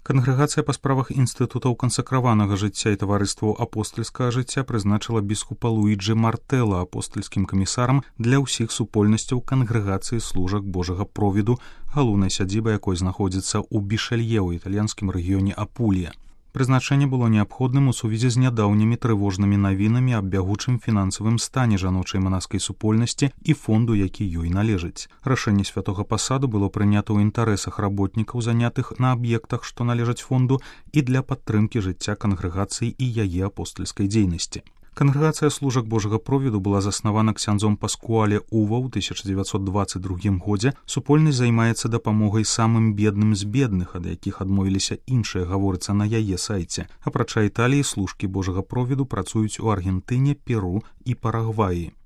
Кангрэгацыя па справах інстытутаў кансакраванага жыцця і таварыстваў апостальскага жыцця прызначыла біскупа Луіджы Мартэлла апостальскім камісарам для ўсіх супольнасцяў кангрэгацыі служак Божага провіду, галоўнай сядзіба якой знаходзіцца ў Бішалье ў італьянскім рэгіёне Апулія. Прызначэнне было неабходным у сувязі з нядаўнімі трывожнымі навінамі аб бягучым фінансавым стане жаночай манаскай супольнасці і фонду, які ёй належыць. Рашэнне святога пасаду было прынята ў інтарэсах работнікаў, занятых на аб'ектах, што належаць фонду, і для падтрымкі жыцця кангрэгацыі і яе апостальскай дзейнасці. Кангрэгацыя служак Божага провіду была заснавана ксяндзом Паскуале Ува ў 1922 годзе. Супольнасць займаецца дапамогай самым бедным з бедных, ад якіх адмовіліся іншыя, гаворыцца на яе сайце. Апрача Італіі, служкі Божага провіду працуюць у Аргентыне, Перу і Парагваі.